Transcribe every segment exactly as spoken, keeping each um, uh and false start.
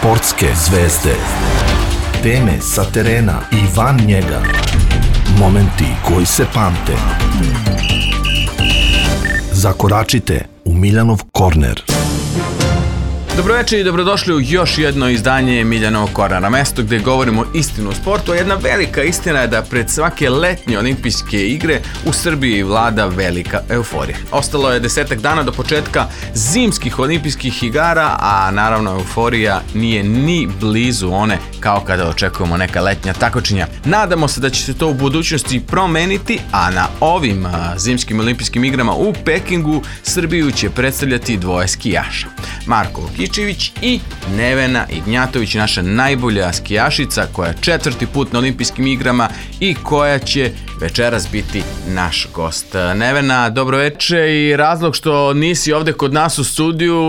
Sportske zvezde. Teme sa terena i van njega. Momenti koji se pamte. Zakoračite u Miljanov korner. Dobroveče i dobrodošli u još jedno izdanje Miljanovog kornera, mesto gde govorimo istinu o sportu, a jedna velika istina je da pred svake letnje olimpijske igre u Srbiji vlada velika euforija. Ostalo je desetak dana do početka zimskih olimpijskih igara, a naravno euforija nije ni blizu one kao kada očekujemo neka letnja takmičenja. Nadamo se da će se to u budućnosti promeniti, a na ovim zimskim olimpijskim igrama u Pekingu Srbiju će predstavljati dvoje skijaša. Marko Kičević i Nevena Ignjatović, naša najbolja skijašica koja je četvrti put na olimpijskim igrama i koja će večeras biti naš gost. Nevena, dobroveče, i razlog što nisi ovde kod nas u studiju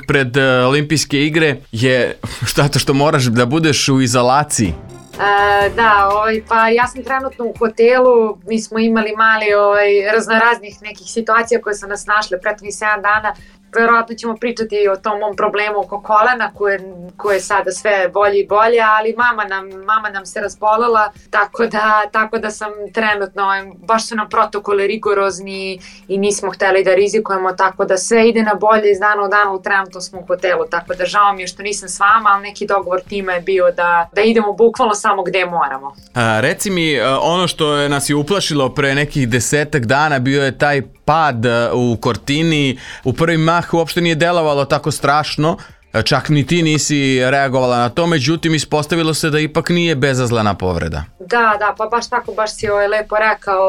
pred olimpijske igre je što, što moraš da budeš u izolaciji. E, da, ovaj, pa ja sam trenutno u hotelu, mi smo imali mali ovaj, raznoraznih nekih situacija koje su nas našle prethodnih sedam dana. Verovatno ćemo pričati o tom mom problemu oko kolena koje, koje je sada sve bolje i bolje, ali mama nam, mama nam se razbolela, tako da, tako da sam trenutno, baš su nam protokoli rigorozni i nismo hteli da rizikujemo, tako da sve ide na bolje iz dana u dana, trenutno smo u hotelu, tako da žao mi je što nisam s vama, ali neki dogovor tima je bio da, da idemo bukvalno samo gde moramo. A, reci mi, ono što je nas je uplašilo pre nekih desetak dana bio je taj pad u Cortini. U prvi mah uopšte nije delovalo tako strašno, čak ni ti nisi reagovala na to, međutim ispostavilo se da ipak nije bezazlena povreda. Da, da, pa baš tako, baš si ovaj lepo rekao.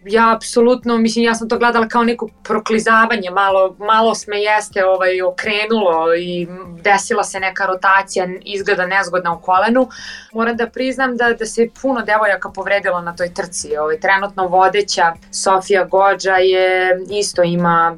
Ja apsolutno, mislim, ja sam to gledala kao neko proklizavanje, malo, malo me jeste ovaj, okrenulo i desila se neka rotacija, izgleda nezgodna u kolenu. Moram da priznam da, da se puno devojaka povredilo na toj trci. Ovaj, trenutno vodeća Sofija Gođa je isto ima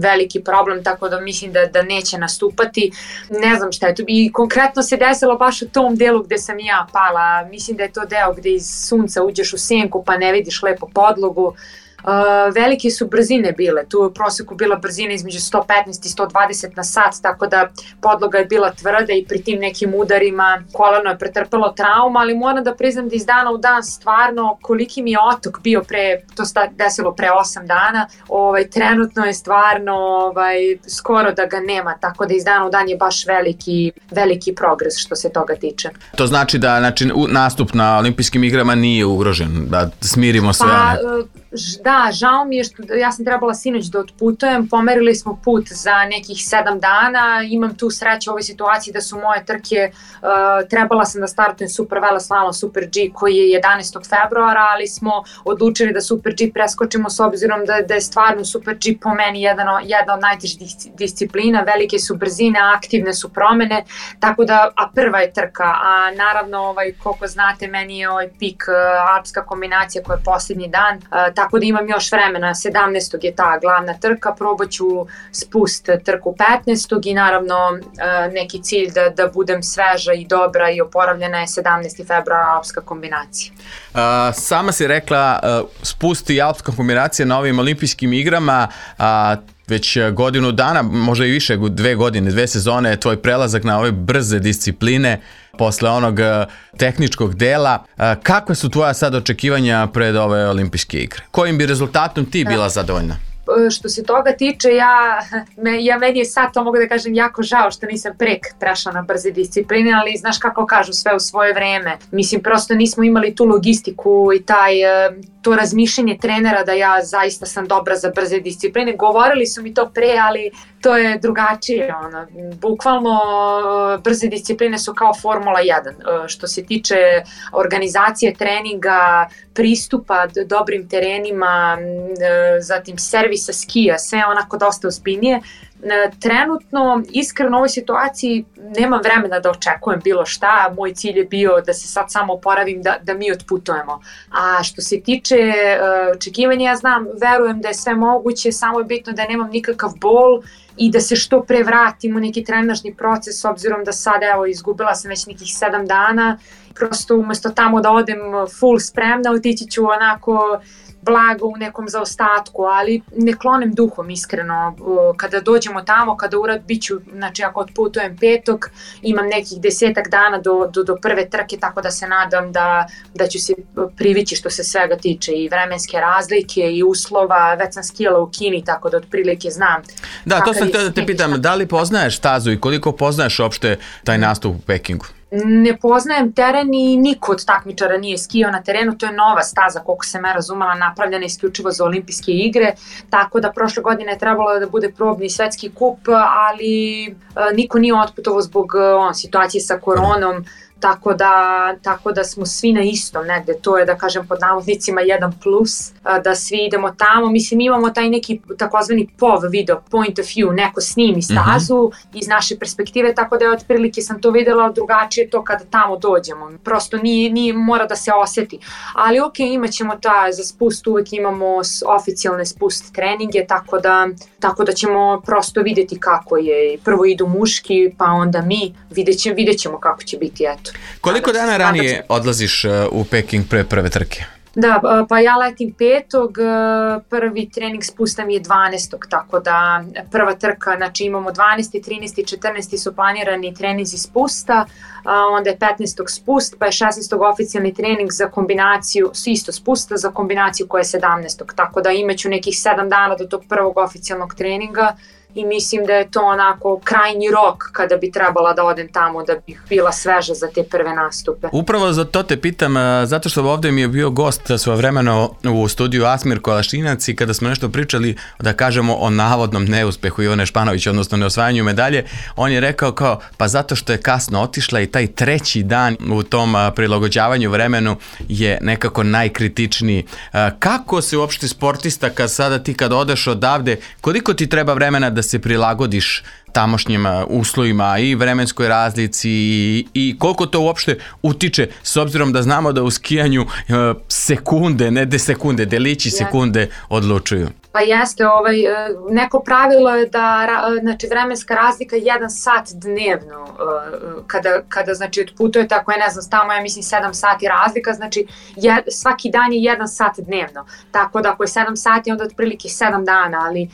veliki problem, tako da mislim da, da neće nastupati. Ne znam šta je to. I konkretno se desilo baš u tom delu gde sam ja pala. Mislim da je to deo gde iz sunca uđeš u senku pa ne vidiš lepo podlogu. Uh, velike su brzine bile, tu je u proseku bila brzina između sto petnaest i sto dvadeset na sat, tako da podloga je bila tvrda i pri tim nekim udarima koleno je pretrpelo trauma, ali moram da priznam da iz dana u dan stvarno koliki mi je otok bio pre, to se desilo pre osam dana, ovaj, trenutno je stvarno ovaj, skoro da ga nema, tako da iz dana u dan je baš veliki, veliki progres što se toga tiče. To znači da znači, nastup na olimpijskim igrama nije ugrožen, da smirimo sve pa, one. Da, žao mi je što ja sam trebala sinoć da otputujem, pomerili smo put za nekih sedam dana, imam tu sreću u ovoj situaciji da su moje trke, uh, trebala sam da startujem Super Veleslalom Super G koji je jedanaestog februara, ali smo odlučili da Super G preskočimo s obzirom da, da je stvarno Super G po meni jedan, jedna od najtežih disciplina, velike su brzine, aktivne su promene, tako da, a prva je trka, a naravno ovaj, koliko znate meni je ovaj pik uh, alpska kombinacija koja je posljednji dan, uh, tako da imam još vremena, sedamnaestog je ta glavna trka, probat ću spust trku petnaestog i naravno neki cilj da, da budem sveža i dobra i oporavljena je sedamnaesti februar alpska kombinacija. Uh, sama si rekla uh, spust i alpska kombinacija na ovim olimpijskim igrama, uh, već godinu dana, možda i više, dve godine, dve sezone je tvoj prelazak na ove brze discipline posle onog tehničkog dela. Kakve su tvoja sad očekivanja pred ove olimpijske igre? Kojim bi rezultatom ti bila zadovoljna? Što se toga tiče, ja, me, ja meni je sad, to mogu da kažem, jako žao što nisam prek prešla na brze discipline, ali znaš kako kažu, sve u svoje vreme. Mislim, prosto nismo imali tu logistiku i taj, to razmišljanje trenera da ja zaista sam dobra za brze discipline. Govorili su mi to pre, ali to je drugačije. Ono. Bukvalno brze discipline su kao Formula jedan. Što se tiče organizacije treninga, pristupa dobrim terenima, zatim servisa skija, sve onako dosta ozbiljnije. Trenutno, iskreno u ovoj situaciji nemam vremena da očekujem bilo šta, moj cilj je bio da se sad samo oporavim, da, da mi otputujemo. A što se tiče uh, očekivanja, ja znam, verujem da je sve moguće, samo je bitno da nemam nikakav bol i da se što pre vratim u neki trenažni proces, s obzirom da sad, evo, izgubila sam već nekih sedam dana, prosto umesto tamo da odem full spremna, otići ću onako blago u nekom zaostatku, ali ne klonem duhom iskreno. Kada dođemo tamo, kada urad biću, znači ako otputujem petog, imam nekih desetak dana do, do, do prve trke, tako da se nadam da, da ću se privići što se svega tiče i vremenske razlike i uslova. Već sam skijala u Kini, tako da otprilike znam. Da, to sam htio da te pitam, da li poznaješ stazu i koliko poznaješ uopšte taj nastup u Pekingu? Ne poznajem teren i niko od takmičara nije skijao na terenu, to je nova staza, koliko sam ja razumela, napravljena isključivo za olimpijske igre, tako da prošle godine je trebalo da bude probni svetski kup, ali niko nije otputovao zbog on, situacije sa koronom, tako da, tako da smo svi na istom negde, to je da kažem pod navodnicima jedan plus, da svi idemo tamo, mislim imamo taj neki takozvani P O V video, point of view, neko snimi stazu mm-hmm. iz naše perspektive, tako da je otprilike sam to videla, drugačije to kada tamo dođemo, prosto nije, nije mora da se oseti, ali ok, imat ćemo ta, za spust uvek imamo oficijalne spust treninge, tako da, tako da ćemo prosto vidjeti kako je, prvo idu muški, pa onda mi, vidjet, će, vidjet ćemo kako će biti, eto. Koliko dana ranije odlaziš u Peking pre prve trke? Da, pa ja letim petog, prvi trening spusta mi je dvanaestog, tako da prva trka, znači imamo dvanaesti, trinaesti i četrnaesti su planirani treninzi spusta, onda je petnaestog spust, pa je šesnaestog oficijalni trening za kombinaciju, isto spusta za kombinaciju koja je sedamnaestog, tako da imaću nekih sedam dana do tog prvog oficijalnog treninga. I mislim da je to onako krajnji rok kada bi trebala da odem tamo da bih bila sveža za te prve nastupe. Upravo za to te pitam, zato što ovdje mi je bio gost svojevremeno u studiju Asmir Kolašinac i kada smo nešto pričali, da kažemo o navodnom neuspehu Ivane Španović, odnosno neosvajanju medalje, on je rekao kao, pa zato što je kasno otišla i taj treći dan u tom prilagođavanju vremenu je nekako najkritičniji. Kako se uopšte sportista, kad sada ti kad odeš odavde, koliko ti treba vremena da se prilagodiš tamošnjim uslovima i vremenskoj razlici i, i koliko to uopšte utiče, s obzirom da znamo da u skijanju sekunde, ne de sekunde, delići sekunde odlučuju. Pa jeste, ovaj, neko pravilo je da znači, vremenska razlika je jedan sat dnevno kada, kada znači, otputujete, ako je ne znam tamo, ja mislim sedam sati razlika, znači je, svaki dan je jedan sat dnevno, tako da ako je sedam sati onda otprilike sedam dana, ali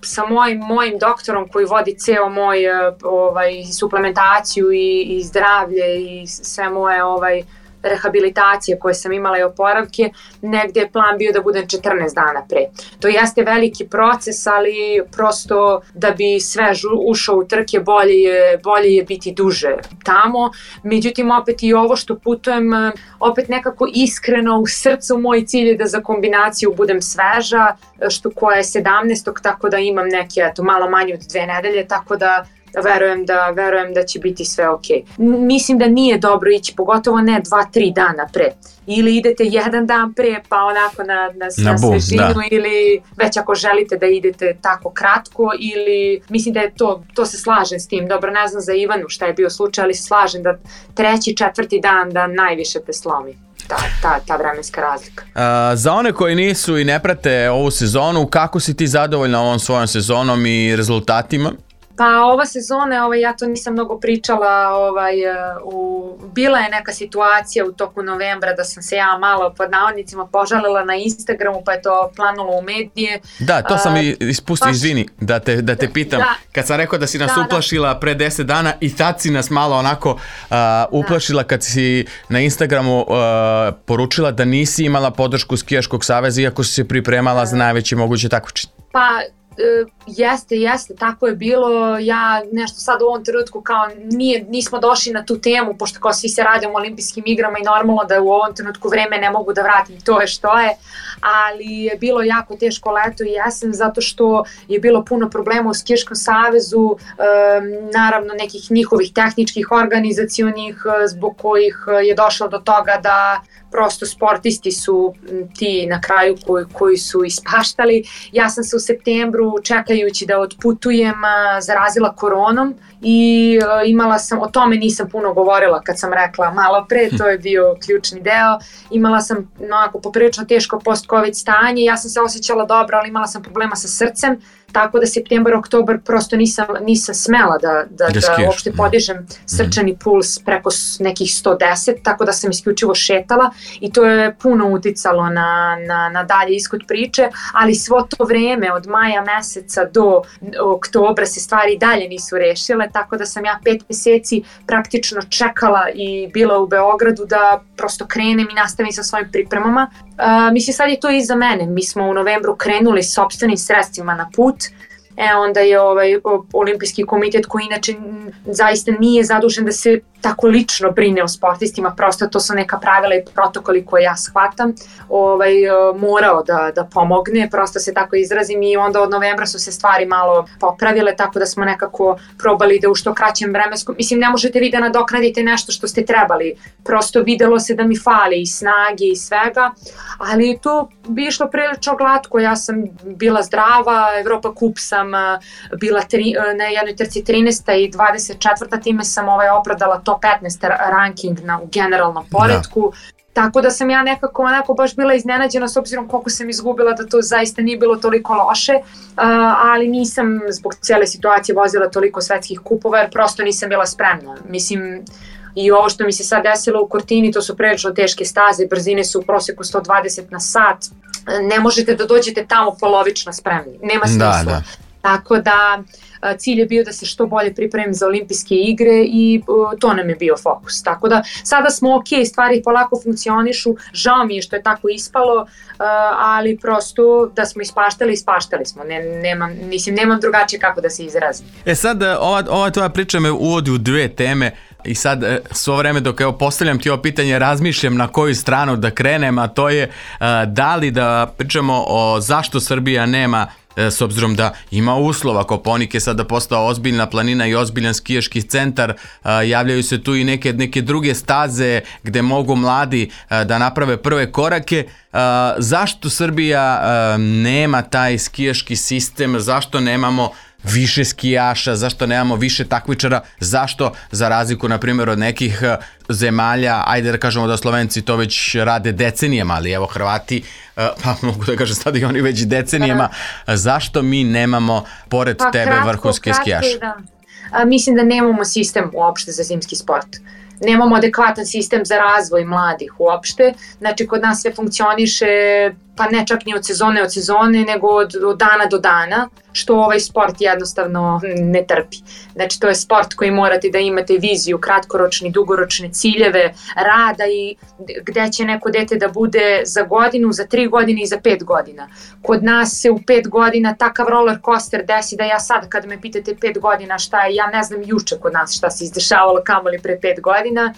sa mojim, mojim doktorom koji vodi ceo moj ovaj, suplementaciju i, i zdravlje i sve moje ovaj, rehabilitacije koje sam imala i oporavke, negde je plan bio da budem četrnaest dana pre. To jeste veliki proces, ali prosto da bi sve ušao u trke bolje je, bolje je biti duže tamo. Međutim, opet i ovo što putujem, opet nekako iskreno u srcu moj cilj je da za kombinaciju budem sveža, što koja je sedamnaestog, tako da imam neke, eto, malo manje od dve nedelje, tako da Verujem da, verujem da će biti sve ok. Mislim da nije dobro ići, pogotovo ne dva, tri dana pre. Ili idete jedan dan pre, pa onako na, na, na, na svežinu, da. Ili već ako želite da idete tako kratko, ili mislim da je to, to se slažem s tim. Dobro, ne znam za Ivanu šta je bio slučaj, ali se slažem da treći, četvrti dan da najviše te slomi. Ta, ta, ta vremenska razlika. A, za one koji nisu i ne prate ovu sezonu, kako si ti zadovoljna ovom svojom sezonom i rezultatima? Pa ova sezona, ovaj, ja to nisam mnogo pričala, ovaj, u, bila je neka situacija u toku novembra da sam se ja malo pod navodnicima požalila na Instagramu, pa je to planulo u medije. Da, to sam i ispustio, baš, izvini, da te, da te pitam. Da, kad sam rekao da si nas da, uplašila da. pre deset dana i tad si nas malo onako uh, uplašila da. kad si na Instagramu uh, poručila da nisi imala podršku Skijaškog saveza iako si se pripremala da. za najveće moguće takmičenje. Pa Uh, jeste, jeste, tako je bilo. Ja nešto sad u ovom trenutku kao nije, nismo došli na tu temu, pošto kao svi se radimo o olimpijskim igrama i normalno da u ovom trenutku vreme ne mogu da vratim, to je što je, ali je bilo jako teško leto i jesen zato što je bilo puno problema u Skijaškom savezu, um, naravno nekih njihovih tehničkih, organizacionih, zbog kojih je došlo do toga da prosto sportisti su ti na kraju koji, koji su ispaštali. Ja sam se u septembru, čekajući da otputujem, zarazila koronom i imala sam, o tome nisam puno govorila kad sam rekla malo pre, to je bio ključni deo. Imala sam onako poprilično teško post-covid stanje, ja sam se osjećala dobro, ali imala sam problema sa srcem, tako da septembar, oktobar prosto nisam, nisam smela da, da, da, da uopšte podižem srčani puls preko nekih sto deset, tako da sam isključivo šetala i to je puno uticalo na, na, na dalje ishod priče, ali svo to vreme od maja meseca do oktobra se stvari dalje nisu rešile, tako da sam ja pet meseci praktično čekala i bila u Beogradu da prosto krenem i nastavim sa svojim pripremama. Uh, mislim, sad je to iza mene. Mi smo u novembru krenuli s sopstvenim sredstvima na put. E, onda je ovaj olimpijski komitet, koji inače zaista nije zadužen da se tako lično brine o sportistima, prosto to su neka pravila i protokoli koje ja shvatam, ovaj, morao da, da pomogne, prosto se tako izrazim, i onda od novembra su se stvari malo popravile, tako da smo nekako probali da u što kraćem vremenskom, mislim, ne možete vi da nadoknadite nešto što ste trebali, prosto videlo se da mi fali i snage i svega, ali to bi išlo prilično glatko. Ja sam bila zdrava, Evropa kup sam bila tri, na jednoj trci trinaesta i dvadeset četvrta, time sam ovaj opravdala top petnaest ranking na, u generalnom poretku. Da. Tako da sam ja nekako onako baš bila iznenađena s obzirom koliko sam izgubila, da to zaista nije bilo toliko loše, uh, ali nisam zbog cijele situacije vozila toliko svetskih kupova jer prosto nisam bila spremna. Mislim, i ovo što mi se sad desilo u Cortini, to su prilično teške staze, brzine su u prosjeku sto dvadeset na sat, ne možete da dođete tamo polovično spremni, nema smisla. Da, da. Tako da cilj je bio da se što bolje pripremim za olimpijske igre i uh, to nam je bio fokus. Tako da sada smo ok, stvari polako funkcionišu, žao mi je što je tako ispalo, uh, ali prosto da smo ispaštali, ispaštali smo. Ne, nemam, mislim, nemam drugačije kako da se izrazim. E sad, ova, ova tvoja priča me uvodi u dve teme. I sad svo vreme dok evo postavljam ti ovo pitanje razmišljam na koju stranu da krenem, a to je uh, da li da pričamo o zašto Srbija nema, s obzirom da ima uslova. Kopaonik je sada postao ozbiljna planina i ozbiljan skijaški centar, javljaju se tu i neke, neke druge staze gde mogu mladi da naprave prve korake. Zašto Srbija nema taj skijaški sistem, zašto nemamo više skijaša, zašto nemamo više takmičara, zašto za razliku na primjer od nekih zemalja, ajde da kažemo da Slovenci to već rade decenijama, ali evo Hrvati, pa mogu da kažem sad i oni već decenijama, zašto mi nemamo pored pa, tebe kratko, vrhunske kratko, skijaše? Da. A, mislim da nemamo sistem uopšte za zimski sport. Nemamo adekvatan sistem za razvoj mladih uopšte, znači kod nas sve funkcioniše, pa ne čak ni od sezone od sezone, nego od, od dana do dana, što ovaj sport jednostavno ne trpi. Znači to je sport koji morate da imate viziju, kratkoročni, dugoročne ciljeve, rada i gde će neko dete da bude za godinu, za tri godine i za pet godina. Kod nas se u pet godina takav roller coaster desi da ja sad kad me pitate pet godina šta je, ja ne znam juče kod nas šta se izdešavalo kamoli pre pet godina.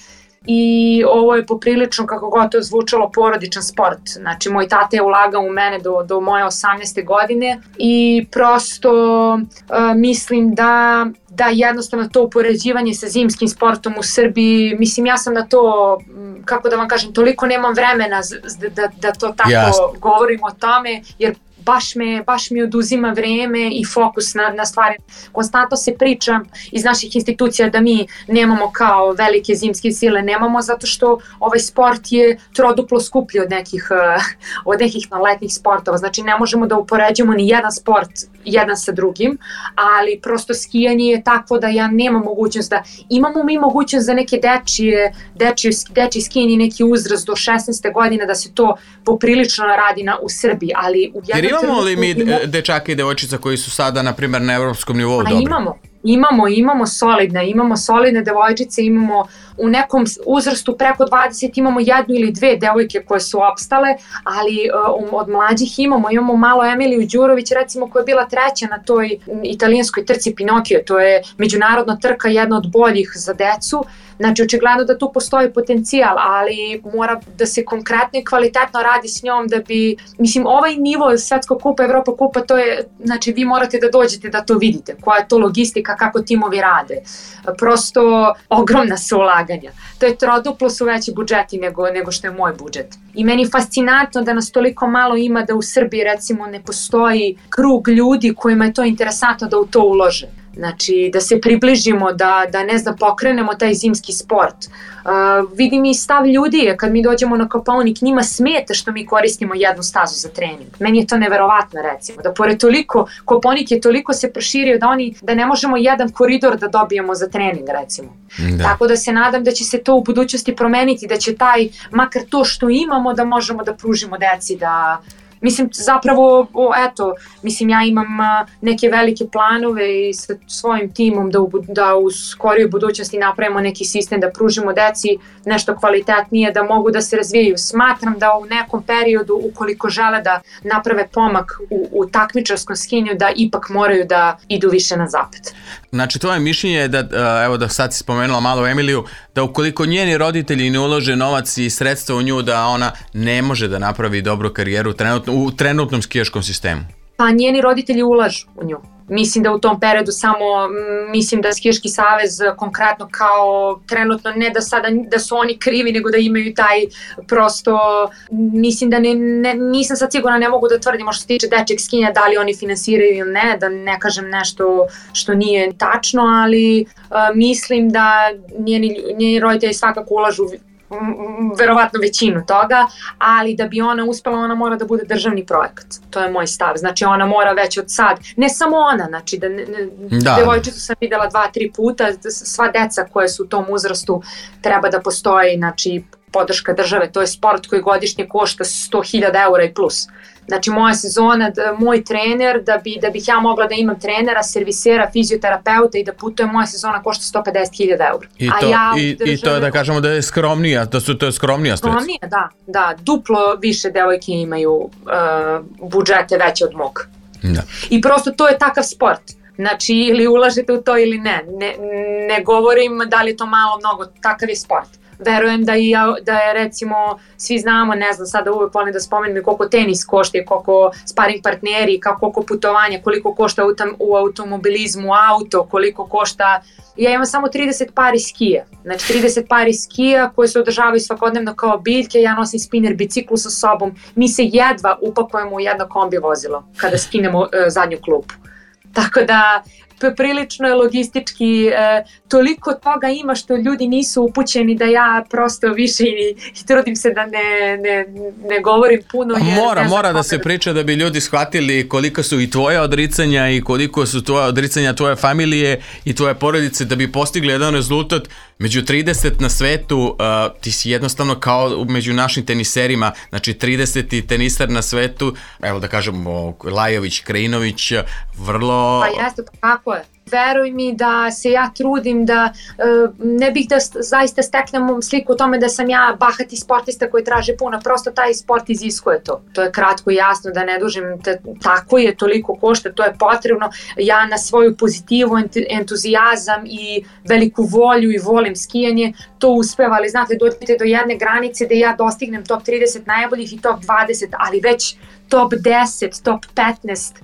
I ovo je poprilično, kako god to zvučalo, porodičan sport. Znači, moj tata je ulagao u mene do, do moje osamnaeste godine i prosto uh, mislim da, da jednostavno to upoređivanje sa zimskim sportom u Srbiji, mislim, ja sam na to, kako da vam kažem, toliko nemam vremena da, da, da to tako yes. govorim o tome, jer baš me, baš mi oduzima vreme i fokus na, na stvari. Konstantno se priča iz naših institucija da mi nemamo kao velike zimske sile, nemamo zato što ovaj sport je troduplo skuplji od nekih, od nekih letnjih sportova. Znači ne možemo da upoređujemo ni jedan sport jedan sa drugim, ali prosto skijanje je takvo da ja nemam mogućnost da, imamo mi mogućnost za neke dečije, dečije, dečije skijanje, neki uzrast do šesnaeste godine da se to poprilično radi na, u Srbiji, ali u jednom imamo li mi dečaka i devojčica koji su sada, na primjer, na evropskom nivou dobri? Imamo, imamo, imamo solidne, imamo solidne devojčice, imamo u nekom uzrastu preko dvadeset imamo jednu ili dve devojke koje su opstale, ali um, od mlađih imamo, imamo malo Emiliju Đurović, recimo, koja je bila treća na toj italijanskoj trci Pinokio, to je međunarodna trka, jedna od boljih za decu. Znači, očigledno da tu postoji potencijal, ali mora da se konkretno i kvalitetno radi s njom da bi, mislim, ovaj nivo Svetskog kupa, Evropa kupa, to je, znači, vi morate da dođete da to vidite, koja je to logistika, kako timovi rade. Prosto ogromna su ulaganja. To je troduplo su veći budžeti nego, nego što je moj budžet. I meni je fascinantno da nas toliko malo ima da u Srbiji, recimo, ne postoji krug ljudi kojima je to interesantno da u to ulože. Znači, da se približimo, da, da ne znam, pokrenemo taj zimski sport. Uh, vidim i stav ljudi je kad mi dođemo na Kopaonik, njima smeta što mi koristimo jednu stazu za trening. Meni je to neverovatno, recimo, da pored toliko, Kopaonik je toliko se proširio da oni, da ne možemo jedan koridor da dobijemo za trening, recimo. Da. Tako da se nadam da će se to u budućnosti promeniti, da će taj, makar to što imamo, da možemo da pružimo deci, da... Mislim, zapravo, o, eto, mislim, ja imam a, neke velike planove i sa svojim timom da u, da u skorijoj budućnosti napravimo neki sistem, da pružimo deci nešto kvalitetnije, da mogu da se razvijaju. Smatram da u nekom periodu, ukoliko žele da naprave pomak u, u takmičarskom skinju, da ipak moraju da idu više na zapad. Znači, tvoje mišljenje je da, evo da sad si spomenula malo Emiliju, da ukoliko njeni roditelji ne ulože novac i sredstva u nju, da ona ne može da napravi dobru karijeru trenutno, u trenutnom skijaškom sistemu? Pa njeni roditelji ulažu u nju. Mislim da u tom periodu samo, mislim da Skijaški savez konkretno kao trenutno, ne da sada da su oni krivi, nego da imaju taj prosto, mislim da ne, ne, nisam sad sigurna, ne mogu da tvrdim što se tiče dečeg skijanja, da li oni finansiraju ili ne, da ne kažem nešto što nije tačno, ali uh, mislim da njeni, njeni roditelji svakako ulažu verovatno većinu toga, ali da bi ona uspela, ona mora da bude državni projekat. To je moj stav. Znači ona mora već od sad, ne samo ona, znači da, ne, da. devojčicu sam videla dva, tri puta, sva deca koje su u tom uzrastu treba da postoji, znači podrška države, to je sport koji godišnje košta sto hiljada eura i plus. Znači moja sezona, da, moj trener, da, bi, da bih ja mogla da imam trenera, servisera, fizioterapeuta i da putujem, moja sezona košta sto pedeset hiljada eura. I to, ja i, države, i to je da kažemo da je skromnija, da su to je skromnija sredstva. Skromnija, da, da, duplo više devojke imaju uh, budžete veće od mog. Da. I prosto to je takav sport. Znači ili ulažete u to ili ne. Ne, ne govorim da li je to malo, mnogo, takav je sport. Verujem da, i, da je recimo, svi znamo, ne znam, sada uvek volim da spomenem koliko tenis košta, koliko sparing partneri, koliko putovanja, koliko košta u, tam, u automobilizmu auto, koliko košta, ja imam samo trideset pari skija, znači trideset pari skija koje se održavaju svakodnevno kao biljke, ja nosim spinner biciklu sa sobom, mi se jedva upakujemo u jedno kombi vozilo kada skinemo uh, zadnju klupu. Tako da prilično je logistički, e, toliko toga ima što ljudi nisu upućeni da ja prosto više i, i trudim se da ne, ne, ne govorim puno. Jer mora, mora da se priča da bi ljudi shvatili koliko su i tvoje odricanja i koliko su tvoje odricanja tvoje familije i tvoje porodice da bi postigli jedan rezultat. Među trideset na svetu, uh, ti si jednostavno kao među našim teniserima, znači trideseti tenisar na svetu, evo da kažemo Lajović, Krajinović, vrlo... Pa jeste, pa kako je? Veruj mi da se ja trudim da uh, ne bih da zaista steknem sliku o tome da sam ja bahati sportista koji traže puno, prosto taj sport iziskuje to. To je kratko i jasno, da ne dužim, te, tako je, toliko košta, to je potrebno. Ja na svoju pozitivu, entuzijazam i veliku volju i volim skijanje, to uspeva, ali znate, dođete do jedne granice da ja dostignem top trideset najboljih i top dvadeset, ali već top deset, top petnaest,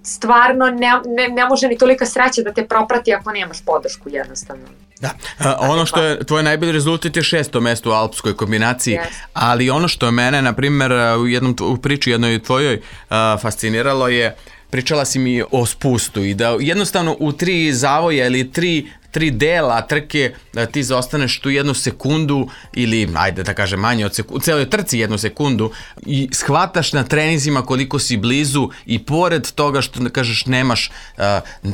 stvarno ne, ne, ne može ni tolika sreća da te proprati ako nemaš podršku jednostavno. Da, a, ono što je tvoj najbolji rezultat je šesto mesto u alpskoj kombinaciji, yes. Ali ono što je mene, na primjer, u jednom u priči jednoj tvojoj a, fasciniralo je, pričala si mi o spustu i da jednostavno u tri zavoja ili tri tri dela trke da ti zaostaneš tu jednu sekundu ili, ajde da kažem, manje od sekundu, u celoj trci jednu sekundu i shvataš na treninzima koliko si blizu i pored toga što da kažeš nemaš uh,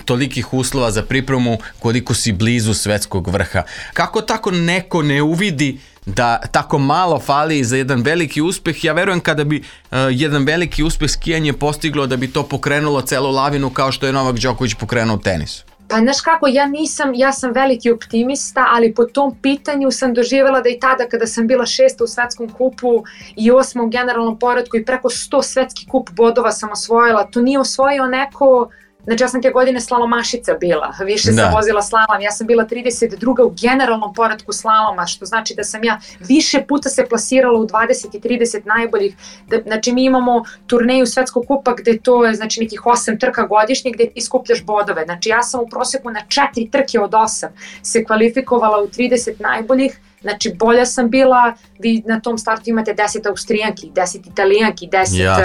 tolikih uslova za pripremu, koliko si blizu svetskog vrha. Kako tako neko ne uvidi da tako malo fali za jedan veliki uspeh? Ja verujem kada bi uh, jedan veliki uspeh skijanje postiglo da bi to pokrenulo celu lavinu kao što je Novak Đoković pokrenuo tenis. Pa znaš kako, ja nisam, ja sam veliki optimista, ali po tom pitanju sam doživjela da i tada kada sam bila šesta u svetskom kupu i osma u generalnom poretku i preko sto svetski kup bodova sam osvojila, to nije osvojio neko, znači ja sam te godine slalomašica bila, više da. sam vozila slalom, ja sam bila trideset druga u generalnom poretku slaloma, što znači da sam ja više puta se plasirala u dvadeset i trideset najboljih, da, znači mi imamo turneju svetskog kupa gde to je znači nekih osam trka godišnje gde ti skupljaš bodove, znači ja sam u proseku na četiri trke od osam se kvalifikovala u trideset najboljih, Znači, bolja sam bila, vi na tom startu imate deset Austrijanki, deset Italijanki, deset, Jasne.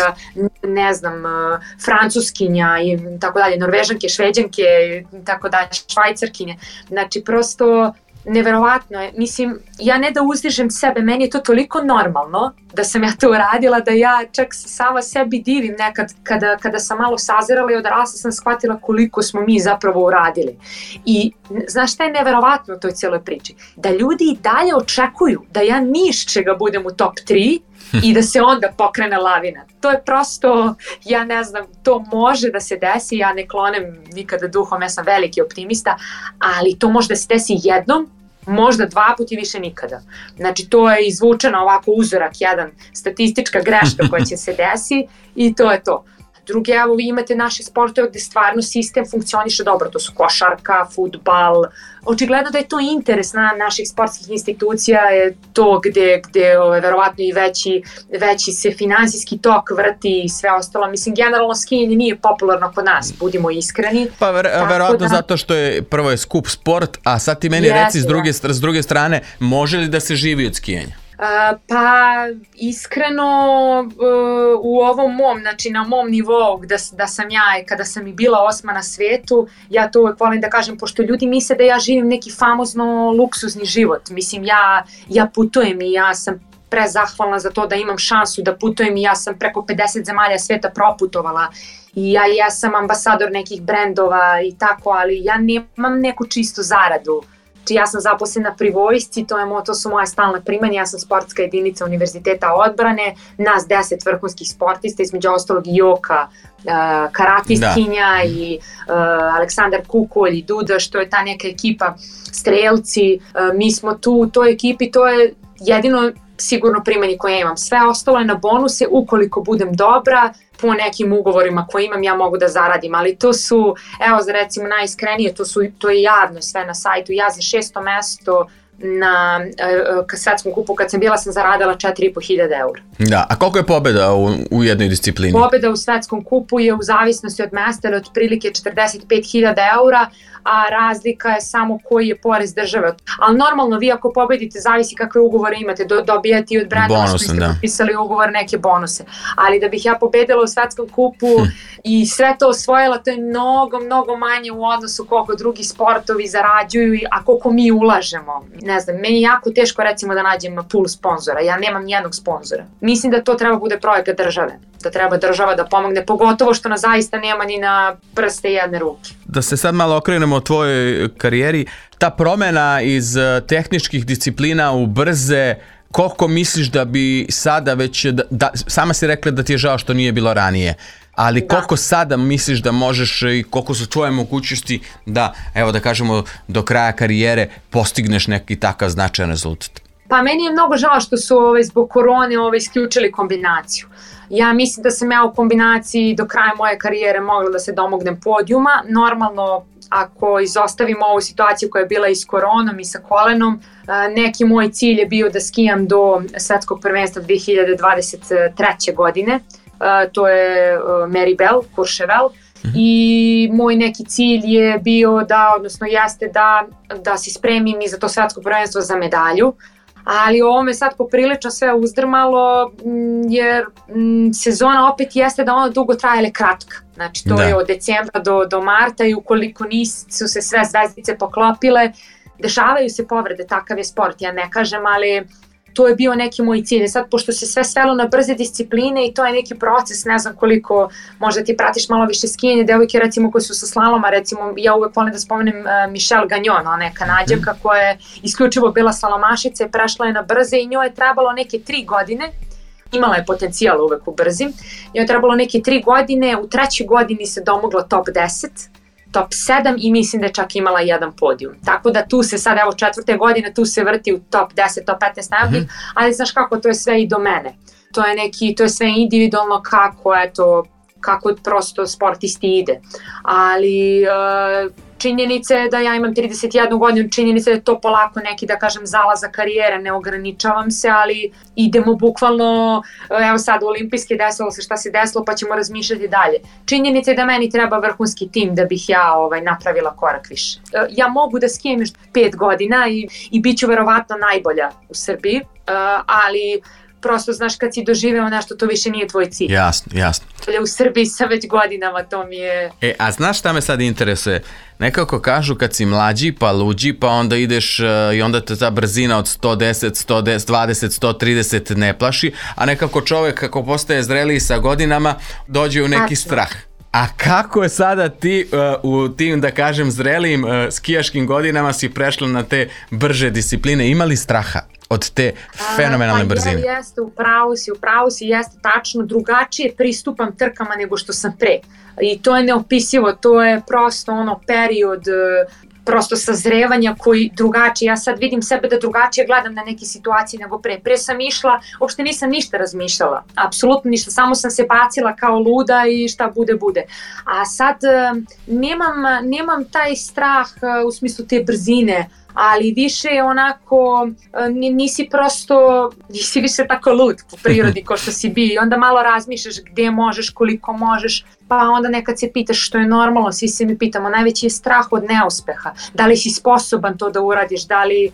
ne znam, Francuskinja i tako dalje, Norvežanke, Šveđanke i tako dalje, Švajcarkinje. Znači, prosto neverovatno je. Mislim, ja ne da uzdižem sebe, meni je to toliko normalno da sam ja to uradila, da ja čak sama sebi divim nekad kada, kada sam malo sazirala i odrasla sam shvatila koliko smo mi zapravo uradili. I znaš šta je neverovatno u toj cijeloj priči? Da ljudi i dalje očekuju da ja niš čega budem u top tri i da se onda pokrene lavina. To je prosto, ja ne znam, to može da se desi, ja ne klonem nikada duhom, ja sam veliki optimista, ali to može da se desi jednom, možda dva puta i više nikada. Znači, to je izvučeno ovako uzorak, jedan, statistička greška koja će se desi i to je to. Drugi, evo, vi imate naše sportove gde stvarno sistem funkcioniše dobro, to su košarka, fudbal. Očigledno da je to interes na naših sportskih institucija, je to gde, gde ove, verovatno i veći, veći se finansijski tok vrti i sve ostalo. Mislim, generalno skijanje nije popularno kod nas, budimo iskreni. Pa ver, verovatno da, zato što je prvo je skup sport, a sad ti meni jesi, reci s druge, s druge strane, može li da se živi od skijanja? Uh, pa iskreno uh, u ovom mom, znači na mom nivou da, da sam ja, kada sam i bila osma na svijetu, ja to uvek volim da kažem, pošto ljudi misle da ja živim neki famozno luksuzni život. Mislim, ja, ja putujem i ja sam prezahvalna za to da imam šansu da putujem i ja sam preko pedeset zemalja svijeta proputovala i ja jesam ambasador nekih brendova i tako, ali ja nemam neku čistu zaradu. Znači, ja sam zaposlena pri vojsci, to, je, to su moja stalna primanja, ja sam sportska jedinica Univerziteta odbrane, nas deset vrhunskih sportista, između ostalog i Joka, uh, karatistkinja da. i uh, Aleksandar Kukolj i Duda, što je ta neka ekipa strelci, uh, mi smo tu u toj ekipi, to je jedino sigurno primanje koje imam. Sve ostalo je na bonuse, ukoliko budem dobra, po nekim ugovorima koje imam ja mogu da zaradim, ali to su, evo za recimo najiskrenije, to, su, to je javno sve na sajtu, ja za šesto mesto na uh, svetskom kupu kad sam bila sam zaradila četiri i po hiljade eura. Da, a koliko je pobjeda u, u jednoj disciplini? Pobjeda u svetskom kupu je u zavisnosti od mesta ili otprilike četrdeset pet hiljada eura, a razlika je samo koji je porez države. Ali normalno vi ako pobedite, zavisi kakve ugovore imate, do, dobijate i od brendova što ste potpisali ugovor neke bonuse. Ali da bih ja pobedila u svetskom kupu hm. i sve to osvojila, to je mnogo, mnogo manje u odnosu koliko drugi sportovi zarađuju, a koliko mi ulažemo. Ne znam, meni je jako teško recimo da nađem pool sponzora, ja nemam nijednog sponzora. Mislim da to treba bude projekat države, da treba država da pomogne, pogotovo što nas zaista nema ni na prste jedne ruke. Da se sad malo okrenemo o tvojoj karijeri, ta promjena iz tehničkih disciplina u brze, koliko misliš da bi sada već, da, da, sama si rekla da ti je žao što nije bilo ranije, ali da. Koliko sada misliš da možeš i koliko su tvoje mogućnosti da, evo da kažemo, do kraja karijere postigneš neki takav značajan rezultat? Pa meni je mnogo žao što su ovaj, zbog korone ovaj, isključili kombinaciju. Ja mislim da sam ja u kombinaciji do kraja moje karijere mogla da se domognem podijuma. Normalno, ako izostavimo ovu situaciju koja je bila i s koronom i sa kolenom, neki moj cilj je bio da skijam do svetskog prvenstva dve hiljade dvadeset treće. godine. To je Meribel, Courchevel. I moj neki cilj je bio da, odnosno jeste da, da se spremim i za to svetsko prvenstvo za medalju. Ali ovo me sad poprilično sve uzdrmalo jer sezona opet jeste da ona dugo traje, ali kratka. Znači to da. je od decembra do, do marta i ukoliko nisu se sve zvezdice poklopile, dešavaju se povrede, takav je sport, ja ne kažem, ali to je bio neki moj cilj. Sad, pošto se sve svelo na brze discipline i to je neki proces, ne znam koliko, možda ti pratiš malo više skijanje, devojke recimo koje su sa slaloma, recimo ja uvek volim da spomenem uh, Michelle Gagnon, ona je Kanađanka koja je isključivo bila slalomašica i prešla je na brze i njoj je trebalo neke tri godine, imala je potencijal uvek u brzim, njoj je trebalo neke tri godine, u trećoj godini se domogla top deset, top sedam i mislim da je čak imala jedan podijum. Tako da tu se sad, evo četvrte godine, tu se vrti u top deset, top petnaest najboljih, mm-hmm. ali znaš kako, to je sve i do mene. To je neki, to je sve individualno kako, eto, kako prosto sportisti ide. Ali činjenica je da ja imam trideset jednu godinu, činjenica je to polako neki, da kažem, zalaza karijere, ne ograničavam se, ali idemo bukvalno, evo sad u olimpijske desilo se šta se desilo, pa ćemo razmišljati dalje. Činjenica je da meni treba vrhunski tim da bih ja ovaj, napravila korak više. Ja mogu da skijem još pet godina i, i bit ću verovatno najbolja u Srbiji, ali prosto, znaš, kad si doživeo nešto, to više nije tvoj cilj. Jasno, jasno. U Srbiji sam već godinama, to mi je... E, a znaš šta me sad interesuje? Nekako kažu kad si mlađi, pa luđi, pa onda ideš uh, i onda te ta brzina od sto deset, sto dvadeset, sto trideset ne plaši, a nekako čovek kako postaje zreliji sa godinama, dođe u neki Tačno. strah. A kako je sada ti uh, u tim, da kažem, zrelijim uh, skijaškim godinama si prešla na te brže discipline? Ima li straha od te fenomenalne brzine? Pa jeste, upravo si, upravo si, jeste tačno, drugačije pristupam trkama nego što sam pre. I to je neopisivo, to je prosto ono period prosto sazrevanja koji drugačije, ja sad vidim sebe da drugačije gledam na neke situacije nego pre. Pre sam išla, uopšte nisam ništa razmišljala, apsolutno ništa, samo sam se bacila kao luda i šta bude, bude. A sad nemam, nemam taj strah u smislu te brzine, ali više je onako, nisi prosto, nisi više tako lud po prirodi kao što si bio i onda malo razmišljaš gdje možeš, koliko možeš, pa onda nekad se pitaš što je normalno, svi se mi pitamo, najveći je strah od neuspeha, da li si sposoban to da uradiš, da li,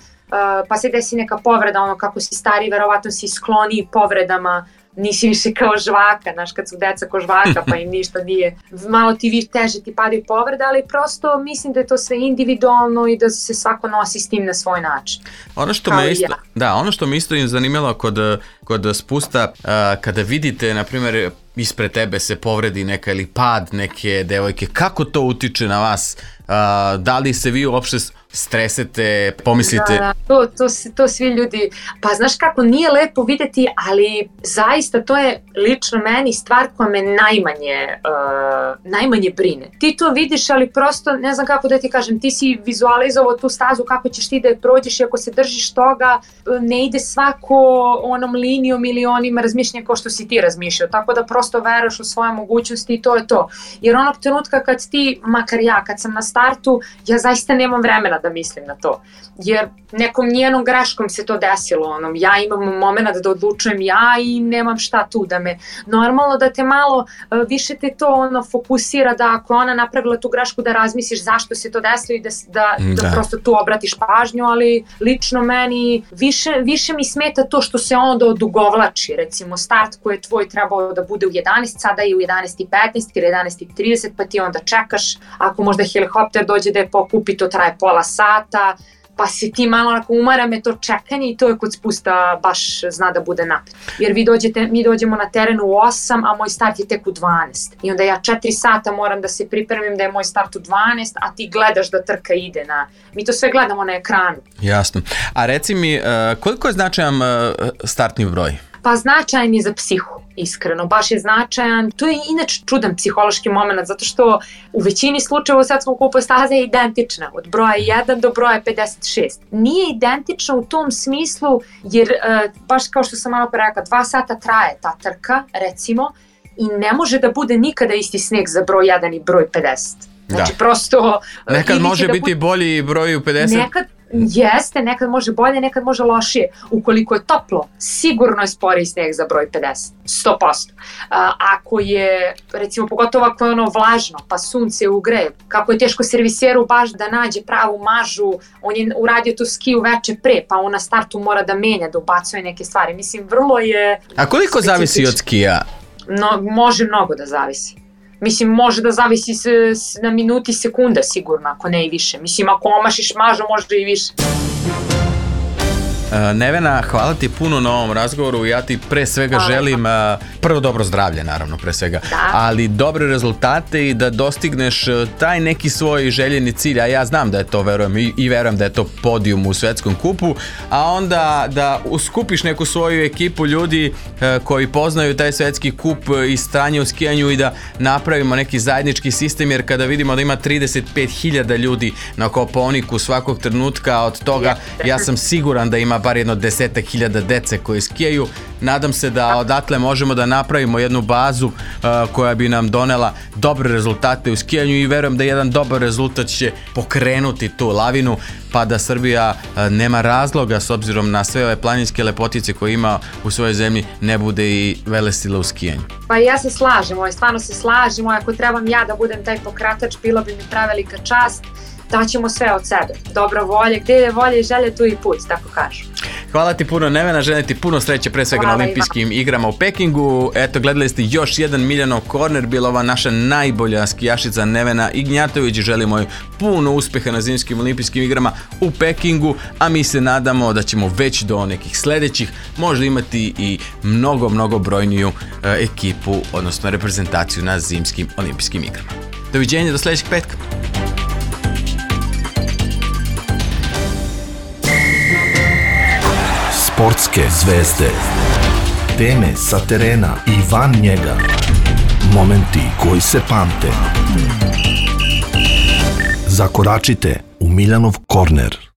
pa se desi neka povreda, ono kako si stari, verovatno si skloniji povredama, nisi više kao žvaka, znaš, kad su deca kao žvaka pa im ništa nije, malo ti više teže ti padaju povrede, ali prosto mislim da je to sve individualno i da se svako nosi s tim na svoj način. Ono što me isto, ja. da, ono što me isto im zanimalo kod, kod spusta, uh, kada vidite, na primjer, ispred tebe se povredi neka ili pad neke devojke, kako to utiče na vas? Uh, da li se vi uopšte stresete, pomislite? Da, da, to, to, to svi ljudi, pa znaš kako, nije lepo videti, ali zaista to je lično meni stvar koja me najmanje, uh, najmanje brine. Ti to vidiš, ali prosto, ne znam kako da ti kažem, ti si vizualizovao tu stazu, kako ćeš ti da je prođeš i ako se držiš toga, ne ide svako onom linijom ili onim razmišljanjem kao što si ti razmišljao, tako da prosto veruješ u svoje mogućnosti i to je to. Jer onog trenutka kad ti, makar ja, kad sam na startu, ja zaista nemam vremena da mislim na to, jer nekom njenom greškom se to desilo, onom, ja imam moment da odlučujem ja i nemam šta tu da me, normalno da te malo više te to ono fokusira da ako ona napravila tu grešku da razmisliš zašto se to desilo i da, da, da. da prosto tu obratiš pažnju, ali lično meni više, više mi smeta to što se onda odugovlači, recimo start koji je tvoj trebao da bude u jedanaest, sada je u jedanaest i petnaest ili jedanaest i trideset, pa ti onda čekaš, ako možda helikopter dođe da je pokupi, to traje pola sata, pa se ti malo onako umara me to čekanje i to je kod spusta baš zna da bude napred. Jer vi dođete, mi dođemo na terenu u osam, a moj start je tek u dvanaest. I onda ja četiri sata moram da se pripremim da je moj start u dvanaest, a ti gledaš da trka ide na... Mi to sve gledamo na ekranu. Jasno. A reci mi, koliko je značajan startni broj? Pa značajan je za psihu, iskreno, baš je značajan. To je inače čudan psihološki moment, zato što u većini slučajeva u svetskom kupu staza je identična, od broja jedan do broja pedeset šest. Nije identična u tom smislu, jer baš kao što sam malo pre rekla, dva sata traje ta trka, recimo, i ne može da bude nikada isti sneg za broj jedan i broj pedeset. Znači, da. prosto... Nekad može da biti bude... bolji broj u pedeset? Nekad, jeste, nekad može bolje, nekad može lošije. Ukoliko je toplo, sigurno je sporiji sneg za broj pedeset, sto posto. A, ako je, recimo, pogotovo ako je ono vlažno, pa sunce ugreje, kako je teško serviseru baš da nađe pravu mažu, on je uradio tu skiju veče pre, pa on na startu mora da menja, da ubacuje neke stvari. Mislim, vrlo je... A koliko zavisi od skija? No, može mnogo da zavisi. Mislim, može da zavisi s, s, na minuti sekunda sigurno, ako ne i više. Mislim, ako omašiš mažu, možda i više. Nevena, hvala ti puno na ovom razgovoru, ja ti pre svega hvala. želim prvo dobro zdravlje, naravno, pre svega, da. ali dobre rezultate i da dostigneš taj neki svoj željeni cilj, a ja znam da je to, verujem, i, i verujem da je to podijum u svetskom kupu, a onda da uskupiš neku svoju ekipu ljudi koji poznaju taj svetski kup i stanje u skijanju i da napravimo neki zajednički sistem, jer kada vidimo da ima trideset pet hiljada ljudi na Kopaoniku svakog trenutka, od toga ja sam siguran da ima ima bar jedno desetak hiljada dece koji skijaju. Nadam se da odatle možemo da napravimo jednu bazu uh, koja bi nam donela dobre rezultate u skijanju i verujem da jedan dobar rezultat će pokrenuti tu lavinu, pa da Srbija uh, nema razloga s obzirom na sve ove planinske lepotice koje ima u svojoj zemlji ne bude i velesila u skijanju. Pa ja se slažem, stvarno se slažem, ako trebam ja da budem taj pokratač, bilo bi mi prevelika čast. Daćemo sve od sebe. Dobra volja, gdje je volja i želje, tu i put, tako kažu. Hvala ti puno, Nevena, želim ti puno sreće pre svega Hvala na olimpijskim igrama u Pekingu. Eto, gledali ste još jedan Miljanov korner, bila ova naša najbolja skijašica Nevena Ignjatović. Želimo joj puno uspeha na zimskim olimpijskim igrama u Pekingu, a mi se nadamo da ćemo već do nekih sledećih možda imati i mnogo, mnogo brojniju e, ekipu, odnosno reprezentaciju na zimskim olimpijskim igrama. Doviđenja, do sledećeg petka. Sportske zvezde, teme sa terena i van njega, momenti koji se pamte. Zakoračite u Miljanov korner.